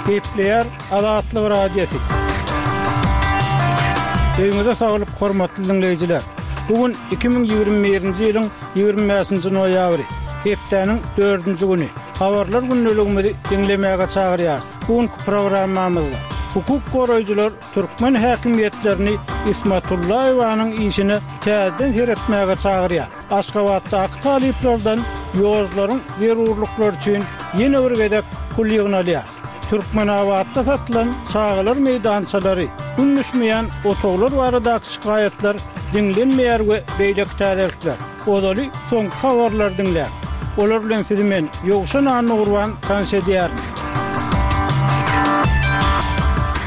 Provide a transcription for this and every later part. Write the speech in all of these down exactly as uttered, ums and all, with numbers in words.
Gepleýär Azatlyk Radiosy. Öýüňize saglyk, hormatly diňleýjiler. Bu gün iki müň ýigrimi birinji ýylyň ýigrimi bäşinji noýabry, hepdäniň dördünji güni. Habarlar gündeligimizi diňlemäge çagyrýarys. Bu günki programmamyzda hukuk goraýjylar türkmen häkimiýetlerini Ismatullaýewanyň işine täzeden seretmäge çagyrýar. Aşgabatdaky talyplardan ýolcularyň zerurlyklary üçin ýene bir gezek pul ýygnalýar. Türkmenabatda satylan çagalar meýdançalary, gün düşmeýän otaglar baradaky şikaýatlar diňlenmeýär we beýleki täzelikler. Ozaly soňky habarlar diňläň. Olar bilen sizi men Ýowşan Annagurban tanyş edýärin.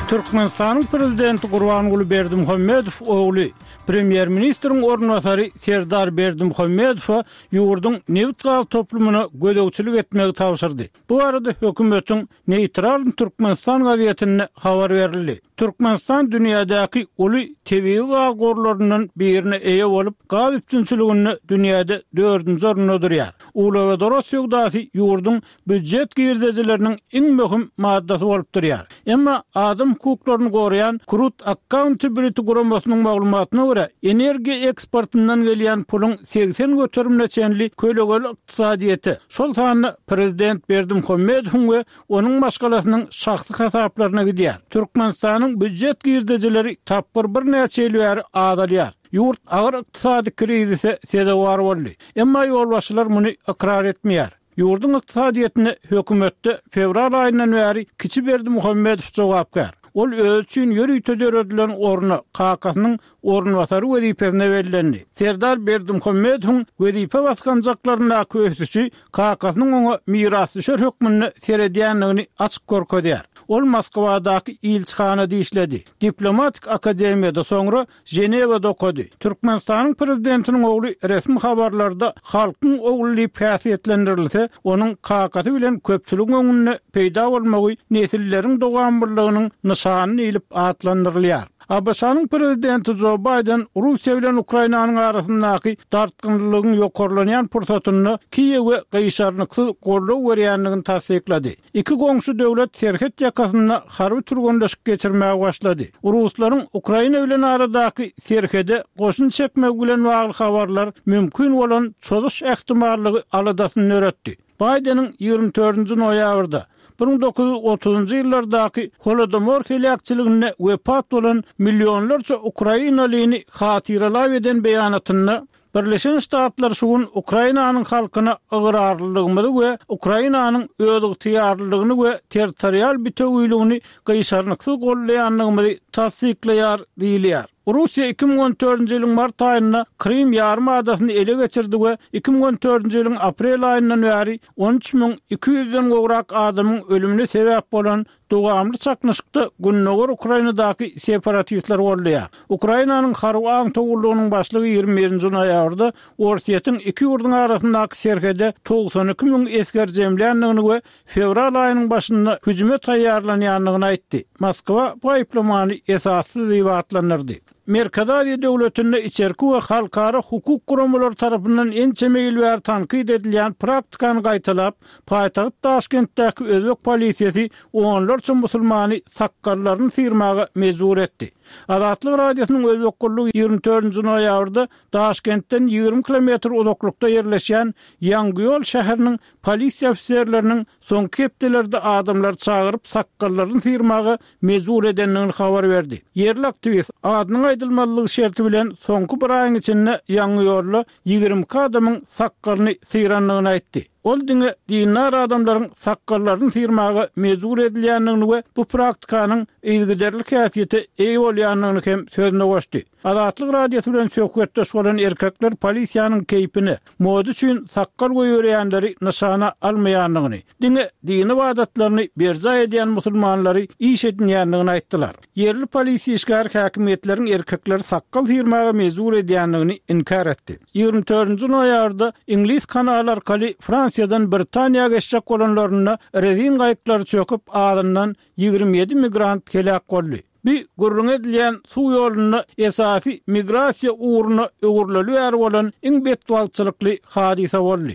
Türkmenistanyň prezidenti Gurbanguly Berdimuhamedow ogly, premýer-ministriň orunbasary Serdar Berdimuhamedowa ýurduň nebit-gaz toplumyna gözegçilik etmegi tabşyrdy. Bu barada hökümetiň Neýtral Türkmenistan gazetinde habar berildi. Türkmenistan dünýädäki uly tebigy gaz gorlaryndan birine eýe bolup, gaz üpjünçiliginde dünýäde dördünji orunda durýar. Uglewodorod söwdasy ýurduň býujet girdejileriniň iň möhüm maddasy bolup durýar. Emma adam hukuklaryny goraýan Truth Accountability guramasynyň maglumatyna görä, energiýa eksportyndan gelýän puluň segsen göterimine çenli kölegeli ykdysadyýete, şol sanda prezident Berdimuhamedowyň we onuň maşgalasynyň şahsy hasaplaryna gidýär. Türkmenistanyň býujet girdejileri tapgyr birnäçe ýyl bäri azalýar. Ýurt agyr ykdysady krizise sezewar boldy. Emma ýolbaşçylar muny ykrar etmeýär. Ýurduň ykdysadyýetine hökümetde fewral aýyndan bäri kiçi Berdimuhamedow jogapkär. Ol öz üçin ýörite döredilen orna, kakasynyň orunbasary wezipesine bellendi. Serdar Berdimuhamedowyň wezipe basgançaklaryndaky ösüşi kakasynyň oňa mirasdüşer hökmünde seredýändigini açyk görkezýär. Ol Moskwadaky ilçihanada işledi. Diplomatik akademiýada soňra Ženewada okady. Türkmenistanyň prezidentiniň ogly resmi habarlarda halkyň ogly diýip häsiýetlendirilse, onuň kakasy bilen köpçüligiň öňünde peýda bolmagy nesilleriň dowamlylygynyň nyşany diýlip atlandyrylýar. ABŞ-nyň prezidenti Joe Biden Russiýa bilen Ukrainanyň arasyndaky dartgynlylygyň ýokarlanýan pursatynda Kiýewe gyşarnyksyz goldaw berýändigini tassyklady. Iki goňşy döwlet serhet ýakasynda harby türgenleşik geçirmäge başlady. Ruslaryň Ukraina bilen aradaky serhede goşun çekmegi bilen bagly habarlar mümkin bolan çozuş ähtimallygy aladasyny döretdi. Bideniň ýigrimi dördünji noýabrda bir müň dokuz ýüz otuzynjy ýyllardaky Holodomor heläkçiliginde wepat bolan millionlarça ukrainalyny hatyralap eden beýanatynda Birleşen Ştatlar şu gün Ukrainanyň halkyna ygrarlylygymyzy we Ukrainanyň özygtyýarlylygyny we territorial bitewüligini gyşarnyksyz gollaýandygymyzy tassyklaýar diýilýär. Russiýa iki müň on dördünji ýylyň mart aýynda Krym ýarym adasyny ele geçirdi we iki müň on dördünji ýylyň aprel aýyndan bäri on üç müň iki ýüzden gowrak adamyň ölümine sebäp bolan dowamly çaknyşykda Gündogar Ukrainadaky separatistler goldaýar. Ukrainanyň harby aňtaw gullugynyň başlygy ýigrimi birinji noýabrda Orsýetiň iki ýurduň arasyndaky serhede togsan iki müň esger jemländigini we fewral aýynyň başynda hüjüme taýýarlanýandygyny aýtdy. Moskwa bu aýyplamany esassyz diýip atlandyrdy. Merkezi Aziýa döwletinde içerki we halkara hukuk guramalary tarapyndan ençeme ýyl bäri tankyt edilýän praktikany gaýtalap, paýtagt Daşkentdäki özbek polisiýasy onlarça musulmany sakgallaryny syrmaga mejbur etdi. Azatlyk Radiosynyň özbek gullugy ýigrimi dördünji noýabrda Daşkentden ýigrimi kilometr uzaklykda ýerleşýän Ýangyýol şäheriniň polisiýa ofiserleriniň soňky hepdelerde adamlary çagyryp sakgallaryny syrmaga mejbur edendigini habar berdi. Ýerli aktiwist adynyň aýdylmazlygy şerti bilen soňky bir aýyň içinde Ýangyýolda ýigrimi iki adamyň sakgalyny syrandygyny aýtdy. Ol diňe dindar adamlaryň sakgallaryny syrmaga mejbur edilýändigini we bu praktikanyň yzygiderli häsiýete eýe bolýandygyny hem sözüne goşdy. Azatlyk Radiosy bilen söhbetdeş bolan erkekler polisiýanyň keýpine, moda üçin sakgal goýberýänleri nyşana almaýandygyny, diňe dini ybadatlaryny berjaý edýän musulmanlary iş edinýändigini aýtdylar. Ýerli polisiýa işgäri häkimiýetleriň erkekleri sakgal syrmaga mejbur edýändigini inkär etdi. Ýigrimi dördünji noýabrda Iňlis kanaly arkaly Fransiýadan Britaniýa geçjek bolanlarynda rezin gaýyklary çöküp, azyndan ýigrimi ýedi migrant heläk boldy. Bu gürrüň edilýän suw ýolunda esasy migrasiýa ugruna öwrüleli bäri bolan iň betbagtçylykly hadysa boldy.